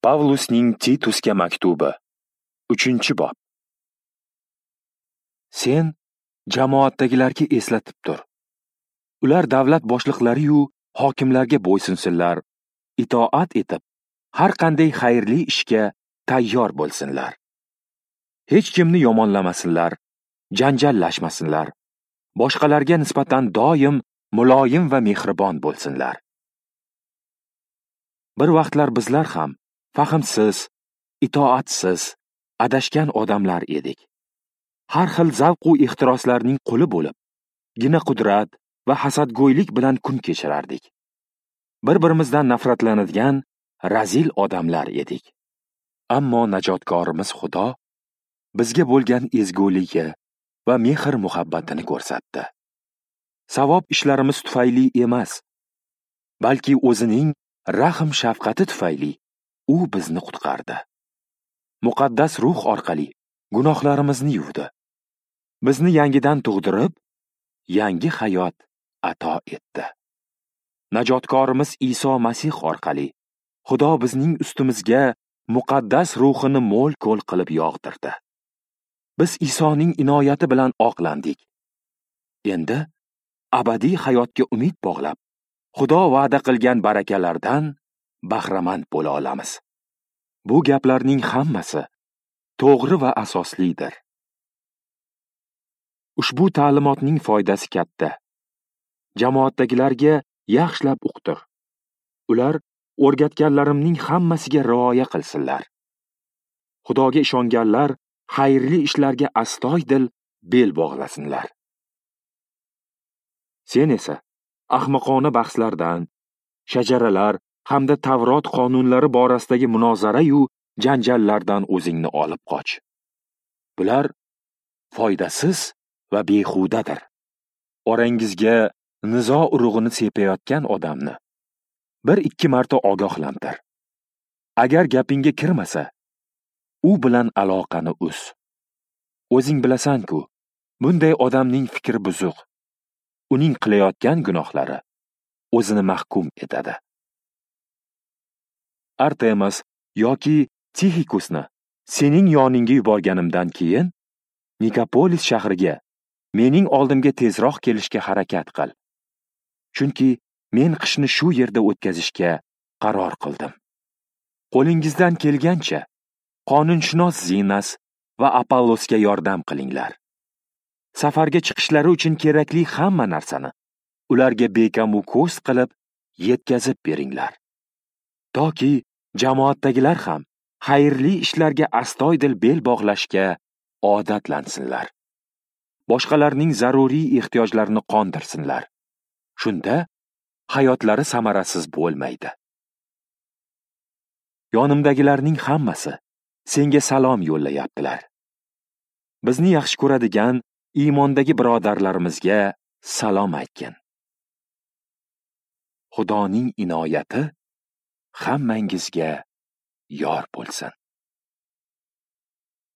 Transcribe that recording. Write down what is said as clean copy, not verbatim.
Pavlusning Titusga maktubi, 3-bob. Sen jamoatdagilarga eslatib tur. Ular davlat boshliqlari-yu hokimlarga bo'ysunsinlar, itoat etib, har qanday xayrli ishga tayyor bo'lsinlar. Hech kimni yomonlamasinlar, janjallashmasinlar. Boshqalarga nisbatan doim muloyim va mehribon bo'lsinlar. Bir vaqtlar bizlar ham fahmsiz, itoatsiz, adashgan odamlar edik. Har xil zavq u ehtiroslarning quli bo'lib, gina qudrat va hasadgo'ylik bilan kun kechirardik. Bir-birimizdan nafratlanadigan razil odamlar edik. Ammo najotkorimiz Xudo bizga bo'lgan ezguligi va mehr-muhabbatini ko'rsatdi. Savob ishlarimiz tufayli emas, balki o'zining rahm-shafqati tufayli u bizni qutqardi. Muqaddas ruh orqali gunohlarimizni yuvdi. Bizni yangidan tug'dirib, yangi hayot ato etdi. Najotkorimiz Iso Masih orqali Xudo bizning ustimizga muqaddas ruhini mo'l-ko'l qilib yog'dirdi. Biz Isoning inoyati bilan oqlandik. Endi abadiy hayotga umid bog'lab, Xudo va'da qilgan barakalardan bahramand bo'la olamiz. Bu gaplarning hammasi to'g'ri va asoslidir. Ushbu ta'limotning foydasi katta. Jamoatdagilarga yaxshilab uqtir. Ular o'rgatganlarimning hammasiga rioya qilsinlar. Xudoga ishonganlar xayrli ishlarga astoydil bel bog'lasinlar. Sen esa ahmoqona bahslardan, shajaralar hamda Tavrot qonunlari borasidagi munozara-yu janjallardan o'zingni olib qoch. Bular foydasiz va behudadir. Orangizga nizo urug'ini sepayotgan odamni 1-2 marta ogohlantir. Agar gapingga kirmasa, u bilan aloqani uz. O'zing bilasan-ku, bunday odamning fikri buzuq. Uning qilayotgan gunohlari o'zini mahkum etadi. Artemas yoki Tixikusni sening yoningga yuborganimdan keyin Nikopolis shahriga mening oldimga tezroq kelishga harakat qil. Chunki men qishni shu yerda o'tkazishga qaror qildim. Qo'lingizdan kelgancha qonunshunos Zinas va Apollosga yordam qilinglar. Safarga chiqishlari uchun kerakli hamma narsani ularga bekamu ko'z qilib yetkazib beringlar. Toki jamoatdagilar ham xayrli ishlarga astoydil bel bog'lashga odatlansinlar. Boshqalarning zaruriy ehtiyojlarini qondirsinlar. Shunda hayotlari samarasiz bo'lmaydi. Yonimdagilarning hammasi senga salom yo'llayaptilar. Bizni yaxshi ko'radigan iymondagi birodarlarimizga salom aytgin. Xudoning inoyati hammangizga yor bo'lsin.